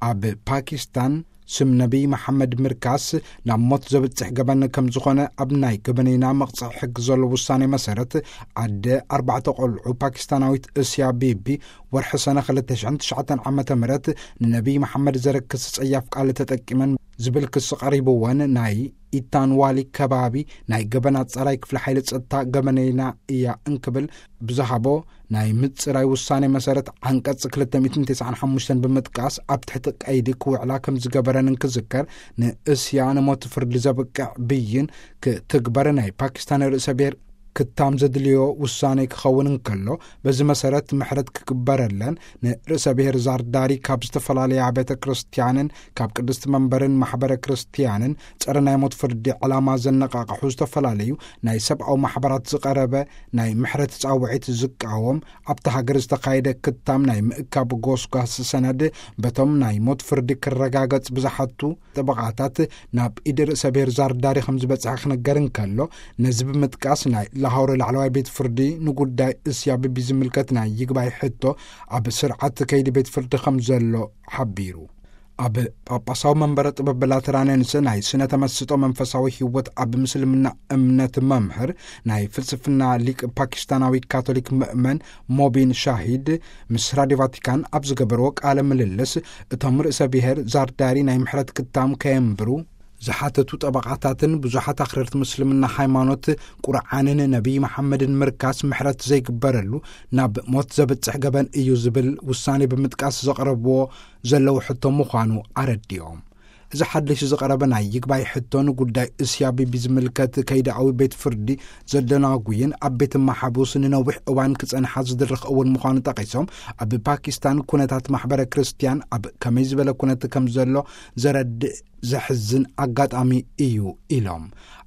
ኣብ ፓኪስታን ስም ነቢይ መሓመድ ምርካስ ናብ ሞት ዘብጽሕ ገበን ከም ዝኾነ፣ ኣብ ናይ ገበነይና መቕጽዒ ሕጊ ዘሎ ውሳኔ መሰረት፣ ዓደ ኣርባዕተ ቆልዑ ፓኪስታናዊት እስያ ቢቢ፣ ወርሒ ሰነ ክልተ ሽሕን ትሽዓተን ዓመተ ምህረት ንነቢይ መሓመድ ዘረክስ ጸያፍ ቃል ተጠቂመን ዝብል ክሲ ቀሪብወን፣ ናይ ኢታንዋሊ ከባቢ ናይ ገበን ኣጻራይ ክፍሊ ሓይሊ ጸጥታ ገበነይና እያ እንክብል ብዝሃቦ ናይ ምጽራይ ውሳኔ መሰረት፣ ዓንቀጽ ክልተ ሚእትን ተስዓን ሓሙሽተን ብምጥቃስ፣ ኣብ ትሕቲ ቀይዲ ክውዕላ ከም ዝገበረን እንክዝከር፣ ንእስያ ንሞት ፍርዲ ዘብቅዕ ብይን ክትግበር ናይ ፓኪስታን ርእሰ ብሔር ክታም ዘድልዮ ውሳኔ ክኸውን እንከሎ፣ በዚ መሰረት ምሕረት ክግበረለን፣ ንርእሰ ብሔር ዛርዳሪ ካብ ዝተፈላለያ ቤተ ክርስቲያንን ካብ ቅድስቲ መንበርን ማሕበረ ክርስቲያንን ጸረ ናይ ሞት ፍርዲ ዕላማ ዘነቃቕሑ ዝተፈላለዩ ናይ ሰብኣዊ ማሕበራት ዝቐረበ ናይ ምሕረት ጻውዒት ዝቃወም፣ ኣብታ ሃገር ዝተኻየደ ክታም ናይ ምእካብ ጎስጓስ ሰነድ፣ በቶም ናይ ሞት ፍርዲ ክረጋገጽ ብዝሓቱ ጠበቓታት ናብ ኢድ ርእሰ ብሔር ዛርዳሪ ከም ዝበጽሐ ክነገር እንከሎ፣ ነዚ ብምጥቃስ፣ ናይ ላሆር ላዕለዋይ ቤት ፍርዲ ንጉዳይ እስያ ቢቢ ዝምልከት ናይ ይግባይ ሕቶ ኣብ ስርዓት ከይዲ ቤት ፍርዲ ከም ዘሎ ሓቢሩ። ኣብ ጳጳሳዊ መንበረ ጥበብ ላተራንንስ ናይ ስነ ተመስጦ መንፈሳዊ ህይወት ኣብ ምስልምና እምነት መምህር፣ ናይ ፍልስፍና ሊቅ ፓኪስታናዊ ካቶሊክ ምእመን ሞቢን ሻሂድ ምስ ራድዮ ቫቲካን ኣብ ዝገበርዎ ቃለ ምልልስ፣ እቶም ርእሰ ብሔር ዛርዳሪ ናይ ምሕረት ክታም ከየንብሩ ዝሓተቱ ጠበቓታትን ብዙሓት ኣኽረርቲ ምስልምና ሃይማኖት ቁርዓንን ነቢይ መሓመድን ምርካስ ምሕረት ዘይግበረሉ ናብ ሞት ዘብጽሕ ገበን እዩ ዝብል ውሳኔ ብምጥቃስ ዘቕረብዎ ዘለዉ ሕቶ ምዃኑ ኣረዲኦም። እዚ ሓድሽ ዝቐረበ ናይ ይግባይ ሕቶ ንጉዳይ እስያ ቢቢ ዝምልከት ከይዳኣዊ ቤት ፍርዲ ዘደናጉይን ኣብ ቤት መሓቡስ ንነዊሕ እዋን ክጸንሓ ዝድርኽ እውን ምዃኑ ጠቒሶም፣ ኣብ ፓኪስታን ኩነታት ማሕበረ ክርስቲያን ኣብ ከመይ ዝበለ ኩነት ከም ዘሎ ዘረድእ ዘሕዝን ኣጋጣሚ እዩ ኢሎም።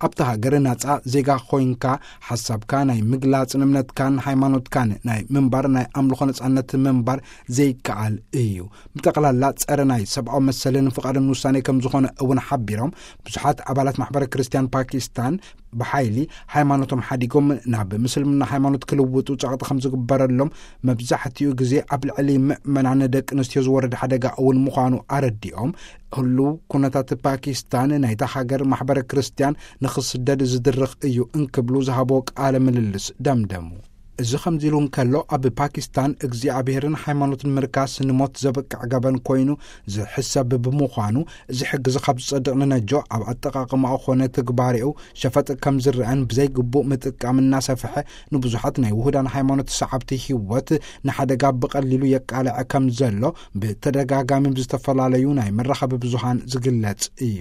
ኣብታ ሃገር ናጻ ዜጋ ኮይንካ ሓሳብካ ናይ ምግላጽን እምነትካን ሃይማኖትካን ናይ ምንባር ናይ ኣምልኾ ነጻነት ምንባር ዘይከኣል እዩ። ብጠቕላላ ጸረ ናይ ሰብኣዊ መሰልን ፍቓድን ውሳኔ ከም ዝኾነ እውን ሓቢሮም፣ ብዙሓት ኣባላት ማሕበረ ክርስቲያን ፓኪስታን ብሓይሊ ሃይማኖቶም ሓዲጎም ናብ ምስልምና ሃይማኖት ክልውጡ ጸቕጢ ከም ዝግበረሎም፣ መብዛሕትኡ ግዜ ኣብ ልዕሊ ምእመናን ደቂ ኣንስትዮ ዝወርድ ሓደጋ እውን ምዃኑ ኣረዲኦም፣ ህሉው ኩነታት ፓኪስታን ናይታ ሃገር ማሕበረ ክርስቲያን ንኽስደድ ዝድርኽ እዩ እንክብሉ ዝሃቦ ቃለ ምልልስ ደምደሙ። እዚ ከምዚ ኢሉ እንከሎ፣ ኣብ ፓኪስታን እግዚኣብሔርን ሃይማኖትን ምርካስ ንሞት ዘብቅዕ ገበን ኮይኑ ዝሕሰብ ብምዃኑ፣ እዚ ሕጊ እዚ ካብ ዝጸድቕ ንነጆ ኣብ ኣጠቓቕማኡ ኾነ ትግባሬኡ ሸፈጥ ከም ዝረአን ብዘይግቡእ ምጥቃም እናሰፍሐ ንብዙሓት ናይ ውሁዳን ሃይማኖት ሰዓብቲ ህይወት ንሓደጋ ብቐሊሉ የቃልዐ ከም ዘሎ ብተደጋጋሚ ብዝተፈላለዩ ናይ መራኸቢ ብዙሃን ዝግለጽ እዩ።